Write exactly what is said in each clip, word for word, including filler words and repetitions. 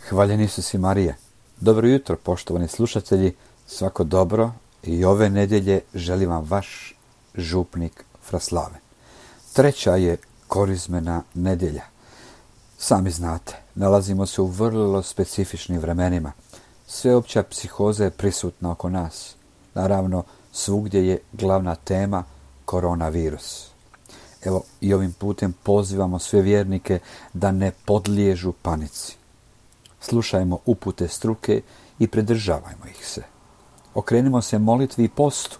Hvaljeni Isus i Marija. Dobro jutro, poštovani slušatelji, svako dobro i ove nedjelje želim vam vaš župnik Fraslaven. Treća je korizmena nedjelja. Sami znate, nalazimo se u vrlo specifičnim vremenima. Sveopća psihoza je prisutna oko nas. Naravno, svugdje je glavna tema koronavirus. Evo, i ovim putem pozivamo sve vjernike da ne podliježu panici. Slušajmo upute struke i pridržavajmo ih se. Okrenimo se molitvi i postu,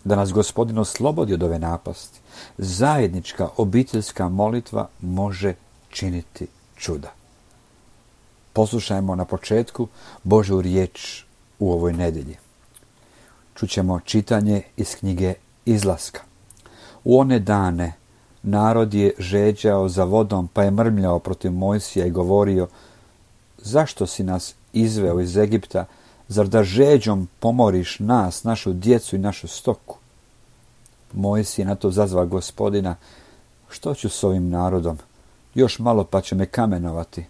da nas Gospodin oslobodi od ove napasti. Zajednička obiteljska molitva može činiti čuda. Poslušajmo na početku Božju riječ u ovoj nedjelji. Čućemo čitanje iz knjige Izlaska. U one dane narod je žeđao za vodom, pa je mrmljao protiv Mojsija i govorio: zašto si nas izveo iz Egipta? Zar da žeđom pomoriš nas, našu djecu i našu stoku? Mojsij je na to zazvao Gospodina: što ću s ovim narodom? Još malo pa će me kamenovati.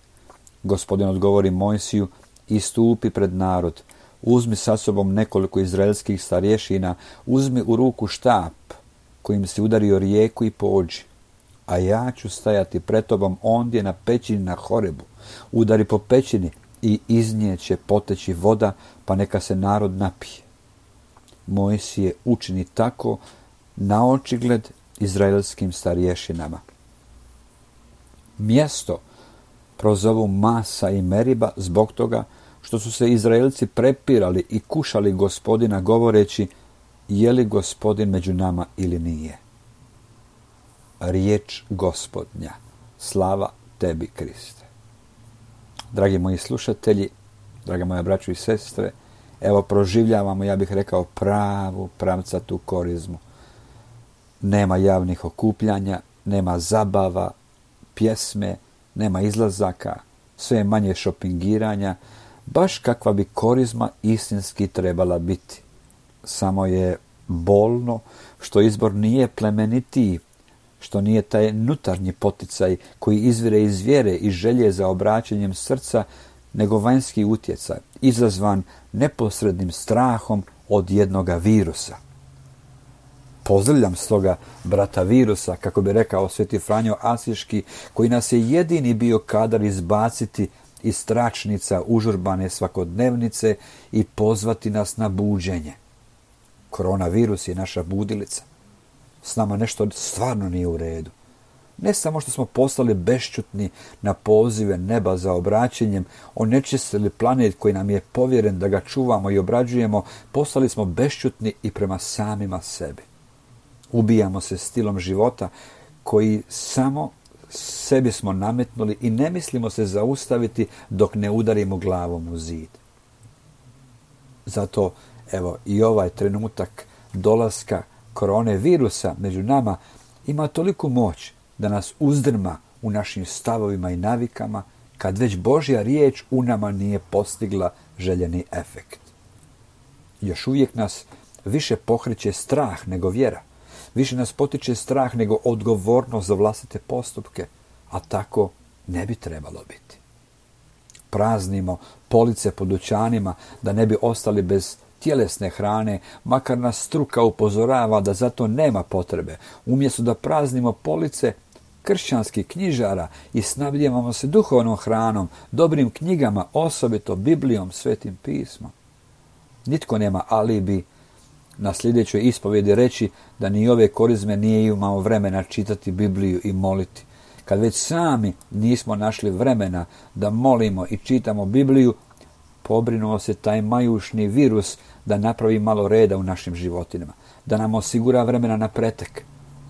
Gospodin odgovori Mojsiju: istupi pred narod, uzmi sa sobom nekoliko izraelskih starješina, uzmi u ruku štap kojim si udario rijeku i pođi. A ja ću stajati pred tobom ondje na pećini na Horebu. Udari po pećini i iz nje će poteći voda, pa neka se narod napije. Mojsije učini tako na očigled izraelskim starješinama. Mjesto prozovu Masa i Meriba zbog toga što su se Izraelci prepirali i kušali Gospodina govoreći: je li Gospodin među nama ili nije? Riječ Gospodnja. Slava tebi, Kriste. Dragi moji slušatelji, draga moja braćo i sestre, evo proživljavamo, ja bih rekao, pravu pravcatu korizmu. Nema javnih okupljanja, nema zabava, pjesme, nema izlazaka, sve je manje šopingiranja, baš kakva bi korizma istinski trebala biti. Samo je bolno što izbor nije plemenitiji, što nije taj nutarnji poticaj koji izvire iz vjere i želje za obraćanjem srca, nego vanjski utjecaj, izazvan neposrednim strahom od jednoga virusa. Pozdravljam stoga brata virusa, kako bi rekao sveti Franjo Asiški, koji nas je jedini bio kadar izbaciti iz tračnica užurbane svakodnevnice i pozvati nas na buđenje. Koronavirus je naša budilica. S nama nešto stvarno nije u redu. Ne samo što smo postali bešćutni na pozive neba za obraćanjem, onečistili planet koji nam je povjeren da ga čuvamo i obrađujemo, postali smo bešćutni i prema samima sebi. Ubijamo se stilom života koji samo sebi smo nametnuli i ne mislimo se zaustaviti dok ne udarimo glavom u zid. Zato, evo, i ovaj trenutak dolaska korone virusa među nama ima toliku moć da nas uzdrma u našim stavovima i navikama, kad već Božja riječ u nama nije postigla željeni efekt. Još uvijek nas više pokreće strah nego vjera. Više nas potiče strah nego odgovornost za vlastite postupke, a tako ne bi trebalo biti. Praznimo police po dućanima da ne bi ostali bez tjelesne hrane, makar nas struka upozorava da za to nema potrebe. Umjesto da praznimo police kršćanskih knjižara i snabdijevamo se duhovnom hranom, dobrim knjigama, osobito Biblijom, Svetim pismom. Nitko nema alibi na sljedećoj ispovjedi reći da ni ove korizme nije imao vremena čitati Bibliju i moliti. Kad već sami nismo našli vremena da molimo i čitamo Bibliju, pobrinuo se taj majušni virus da napravi malo reda u našim životinama, da nam osigura vremena na pretek.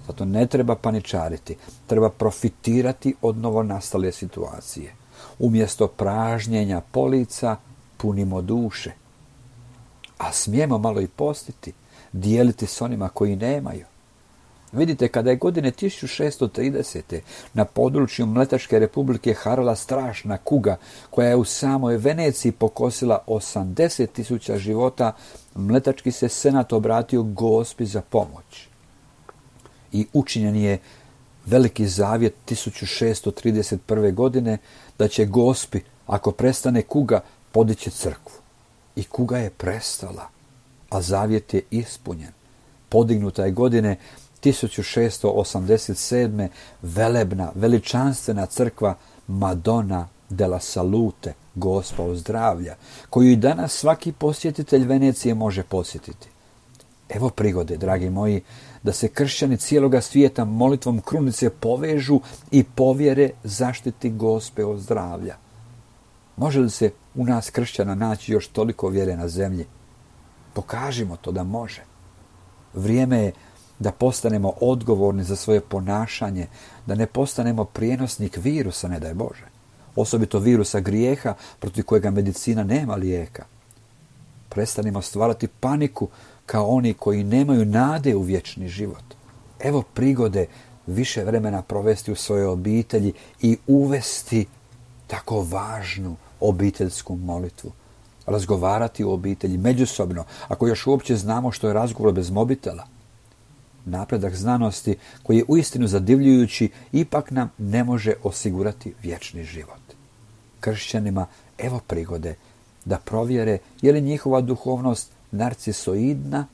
Zato ne treba paničariti, treba profitirati od novonastale situacije. Umjesto pražnjenja polica punimo duše. A smijemo malo i postiti, dijeliti s onima koji nemaju. Vidite, kada je godine tisuću šessto tridesete. na području Mletačke republike harala strašna kuga koja je u samoj Veneciji pokosila osamdeset tisuća života, Mletački se senat obratio Gospi za pomoć. I učinjen je veliki zavjet tisuću šessto trideset prve. godine da će Gospi Ako prestane kuga, podiće crkvu. I kuga je prestala, a zavjet je ispunjen. Podignuta je godine tisuću šessto osamdeset sedme velebna, veličanstvena crkva Madonna della Salute, Gospa zdravlja, koju i danas svaki posjetitelj Venecije može posjetiti. Evo prigode, dragi moji, da se kršćani cijeloga svijeta molitvom krunice povežu i povjere zaštiti Gospe zdravlja. Može li se u nas kršćana naći još toliko vjere na zemlji? Pokažimo to da može. Vrijeme je da postanemo odgovorni za svoje ponašanje, da ne postanemo prijenosnik virusa, ne daj Bože. Osobito virusa grijeha, protiv kojega medicina nema lijeka. Prestanimo stvarati paniku kao oni koji nemaju nade u vječni život. Evo prigode više vremena provesti u svojoj obitelji i uvesti tako važnu obiteljsku molitvu. Razgovarati u obitelji međusobno, ako još uopće znamo što je razgovor bez mobitela. Napredak znanosti, koji je uistinu zadivljujući, ipak nam ne može osigurati vječni život. Kršćanima evo prigode da provjere je li njihova duhovnost narcisoidna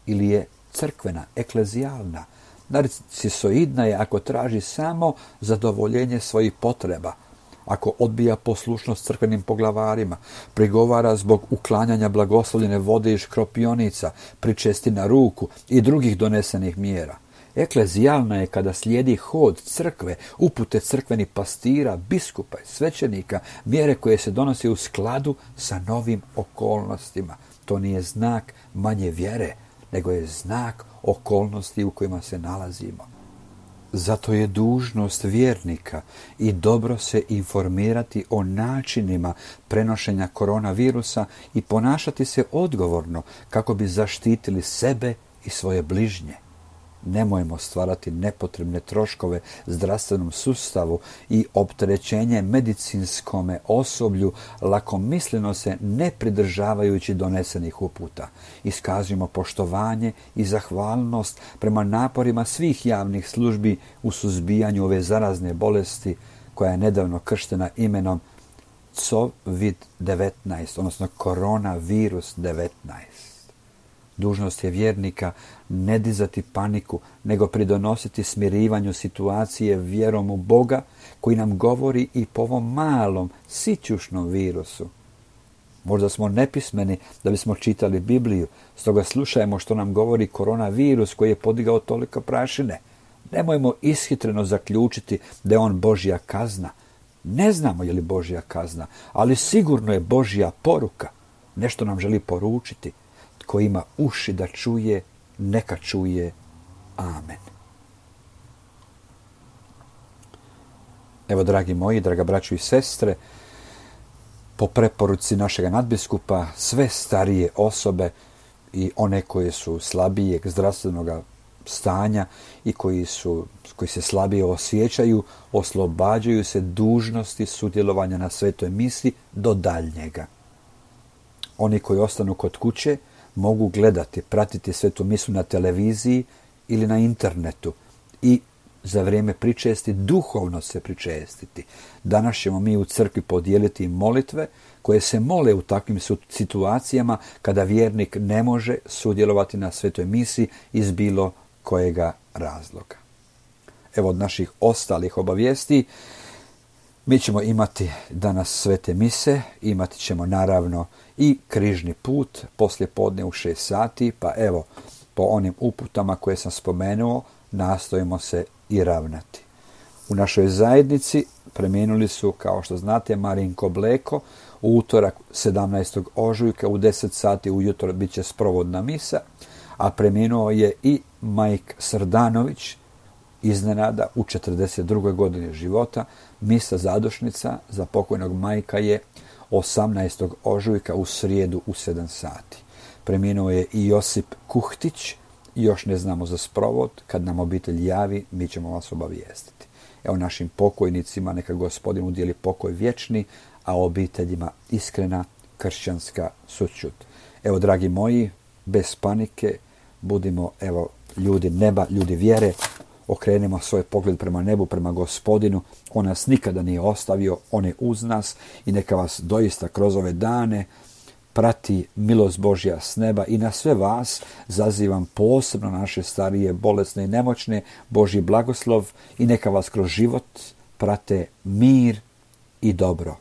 ili je crkvena, eklezijalna. Narcisoidna je ako traži samo zadovoljenje svojih potreba, ako odbija poslušnost crkvenim poglavarima, prigovara zbog uklanjanja blagoslovljene vode iz škropionica, pričesti na ruku i drugih donesenih mjera. Eklezijalna je kada slijedi hod crkve, upute crkvenih pastira, biskupa i svećenika, mjere koje se donose u skladu sa novim okolnostima. To nije znak manje vjere, nego je znak okolnosti u kojima se nalazimo. Zato je dužnost vjernika i dobro se informirati o načinima prenošenja koronavirusa i ponašati se odgovorno kako bi zaštitili sebe i svoje bližnje. Nemojmo stvarati nepotrebne troškove zdravstvenom sustavu i opterećenje medicinskome osoblju lakomisleno se ne pridržavajući donesenih uputa. Iskazujemo poštovanje i zahvalnost prema naporima svih javnih službi u suzbijanju ove zarazne bolesti koja je nedavno krštena imenom COVID devetnaest, odnosno koronavirus devetnaest. Dužnost je vjernika ne dizati paniku, nego pridonositi smirivanju situacije vjerom u Boga koji nam govori i po ovom malom, sićušnom virusu. Možda smo nepismeni da bismo čitali Bibliju, stoga slušajmo što nam govori koronavirus koji je podigao toliko prašine. Nemojmo ishitreno zaključiti da je on Božja kazna. Ne znamo je li Božja kazna, ali sigurno je Božja poruka. Nešto nam želi poručiti. Tko ima uši da čuje, neka čuje. Amen. Evo, dragi moji, draga braćo i sestre, po preporuci našega nadbiskupa, sve starije osobe i one koje su slabijeg zdravstvenog stanja i koji, su, koji se slabije osjećaju, oslobađaju se dužnosti sudjelovanja na svetoj misi do daljnjega. Oni koji ostanu kod kuće mogu gledati, pratiti svetu misu na televiziji ili na internetu i za vrijeme pričesti duhovno se pričestiti. Danas ćemo mi u crkvi podijeliti molitve koje se mole u takvim situacijama kada vjernik ne može sudjelovati na svetoj misi iz bilo kojega razloga. Evo od naših ostalih obavijesti, mi ćemo imati danas svete mise, imati ćemo naravno i križni put poslije podne u šest sati, pa evo po onim uputama koje sam spomenuo nastojimo se i ravnati. U našoj zajednici preminuli su, kao što znate, Marinko Bleko, u utorak sedamnaestog ožujka u deset sati ujutro bit će sprovodna misa, a preminuo je i Majk Srdanović, iznenada u četrdeset drugoj godini života. Misa zadošnica za pokojnog Majka je osamnaestog ožujka u srijedu u sedam sati. Preminuo je i Josip Kuhtić, još ne znamo za sprovod, kad nam obitelj javi, mi ćemo vas obavijestiti. Evo našim pokojnicima neka Gospodin udijeli pokoj vječni, a obiteljima iskrena kršćanska sućut. Evo, dragi moji, bez panike, budimo evo ljudi neba, ljudi vjere, okrenemo svoj pogled prema nebu, prema Gospodinu. On nas nikada nije ostavio, on je uz nas i neka vas doista kroz ove dane prati milost Božja s neba i na sve vas zazivam posebno naše starije, bolesne i nemoćne, Božji blagoslov i neka vas kroz život prate mir i dobro.